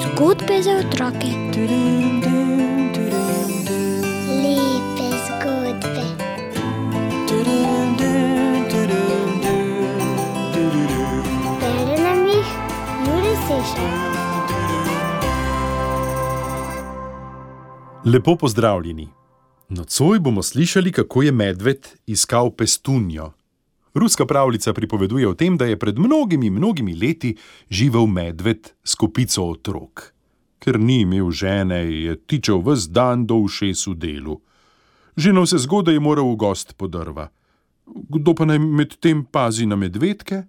Zgodbe za otroke. Lepe zgodbe. Bere nam jih Jure Sešar. Lepo pozdravljeni. Nocoj bomo slišali, kako je medved iskal pestunjo. Ruska pravljica pripoveduje o tem, da je pred mnogimi leti živel medved s kopico otrok. Ker ni imel žene, je tičal ves dan do ušes v delu. Že navsezgodaj je moral v gost po drva. Kdo pa naj medtem pazi na medvedke?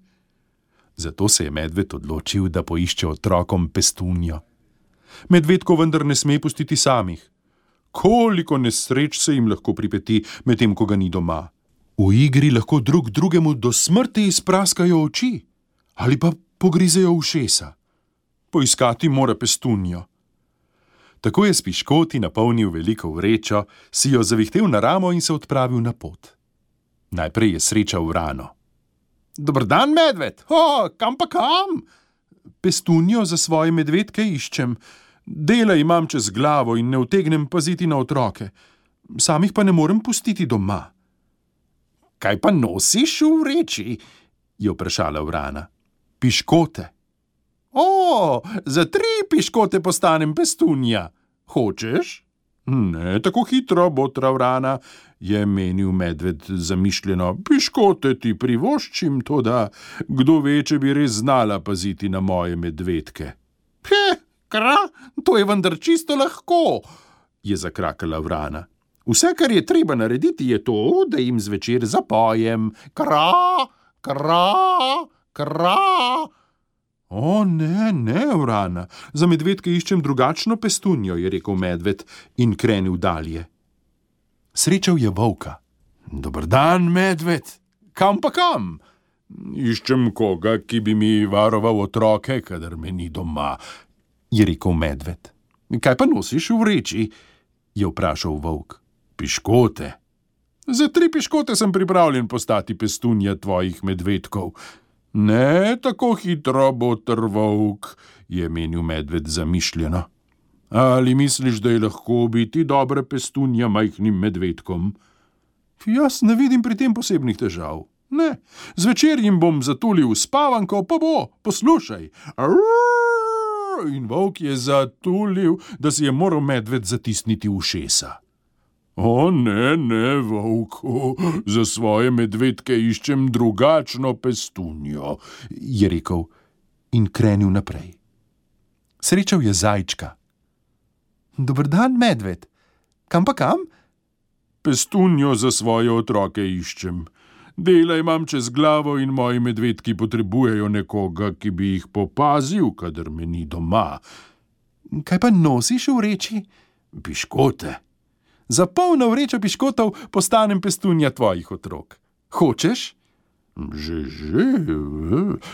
Zato se je medved odločil, da poišče otrokom pestunjo. Medvedko vendar ne sme pustiti samih. Koliko nesreč se jim lahko pripeti, medtem ko ga ni doma. V igri lahko drug drugemu do smrti izpraskajo oči ali pa pogrizejo ušesa. Poiskati mora pestunjo. Tako je s piškoti napolnil veliko vrečo, si jo zavihtel na ramo in se odpravil na pot. Najprej je srečal vrano. Dober dan, medved! Kam pa kam? Pestunjo za svoje medvedke iščem. Dela imam čez glavo in ne utegnem paziti na otroke. Samih pa ne morem pustiti doma. Kaj pa nosiš v vreči? Je vprašala vrana. Piškote. Za 3 piškote postanem pestunja. Hočeš? Ne, tako hitro, botra vrana, je menil medved zamišljeno. Piškote ti privoščim, toda kdo ve, če bi res znala paziti na moje medvedke. To je vendar čisto lahko, je zakrakala vrana. Vse, kar je treba narediti, je to, da jim zvečer zapojem. Kra, kra, kra. Ne, vrana, za medvedke iščem drugačno pestunjo, je rekel medved in krenil dalje. Srečal je volka. Dober dan, medved. Kam pa kam? Iščem koga, ki bi mi varoval otroke, kadar me ni doma, je rekel medved. Kaj pa nosiš v vreči? Je vprašal volk. Piškote. Za 3 piškote sem pripravljen postati pestunja tvojih medvedkov. Ne tako hitro, boter volk, je menil medved zamišljeno. Ali misliš, da je lahko biti dobra pestunja majhnim medvedkom? Jaz ne vidim pri tem posebnih težav. Ne, zvečer jim bom zatulil spavanko, pa bo, poslušaj. In volk je zatulil, da si je moral medved zatisniti ušesa. Ne, volku, za svoje medvedke iščem drugačno pestunjo, je rekel in krenil naprej. Srečal je zajčka. Dober dan, medved. Kam pa kam? Pestunjo za svoje otroke iščem. Dela imam čez glavo in moji medvedki potrebujejo nekoga, ki bi jih popazil, kadar me ni doma. Kaj pa nosiš v vreči? Piškote. Za polno vrečo piškotov postanem pestunja tvojih otrok. Hočeš? Že,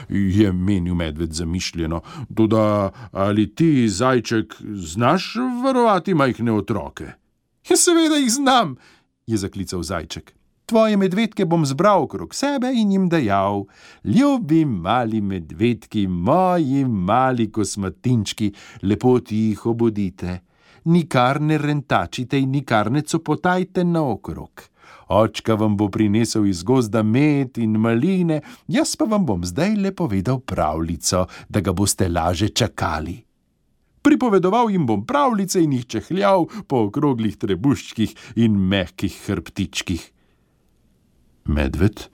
je menil medved zamišljeno. Toda ali ti, zajček, znaš varovati majhne otroke? Seveda jih znam, je zaklical zajček. Tvoje medvedke bom zbral okrog sebe in jim dejal: Ljubi mali medvedki, moji mali kosmatinčki, lepo jih obudite. Nikar ne rentačite in nikar ne copotajte naokrog. Očka vam bo prinesel iz gozda med in maline, jaz pa vam bom zdaj le povedal pravljico, da ga boste laže čakali. Pripovedoval jim bom pravljice in jih čehljal po okroglih trebuščkih in mehkih hrbtičkih. Medved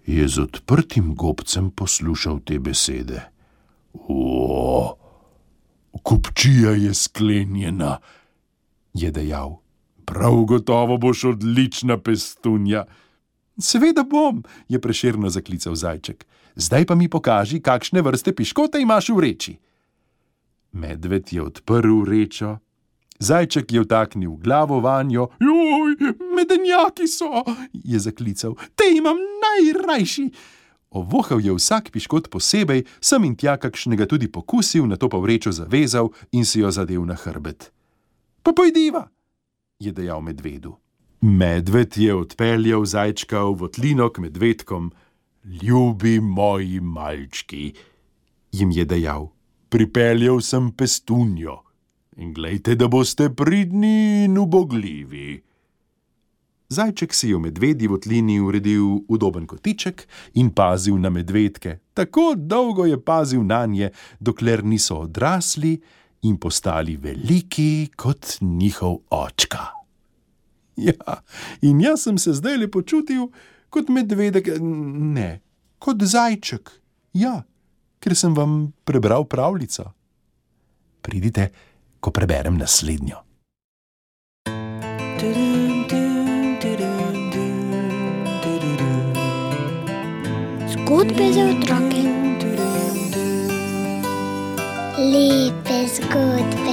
je z odprtim gobcem poslušal te besede. Kupčija je sklenjena, je dejal. Prav gotovo boš odlična pestunja. Seveda bom, je prešerno zaklical zajček. Zdaj pa mi pokaži, kakšne vrste piškote imaš v vreči. Medved je odprl vrečo. Zajček je vtaknil glavo vanjo. Medenjaki so, je zaklical. Te imam najrajši. Ovohal je vsak piškot posebej, sem in tja kakšnega tudi pokusil, nato pa vrečo zavezal in si jo zadel na hrbet. Pa pojdiva, je dejal medvedu. Medved je odpeljal zajčka v votlino k medvedkom. Ljubi moji malčki, jim je dejal, pripeljal sem pestunjo in glejte, da boste pridni in ubogljivi. Zajček si je v medvedji votlini uredil udoben kotiček in pazil na medvedke. Tako dolgo je pazil nanje, dokler niso odrasli in postali veliki kot njihov očka. Ja, in jaz sem se zdajle počutil kot medvedek, ne, kot zajček. Ja, ker sem vam prebral pravljico. Pridite, ko preberem naslednjo. Zgodbe za otroke. Lepe zgodbe.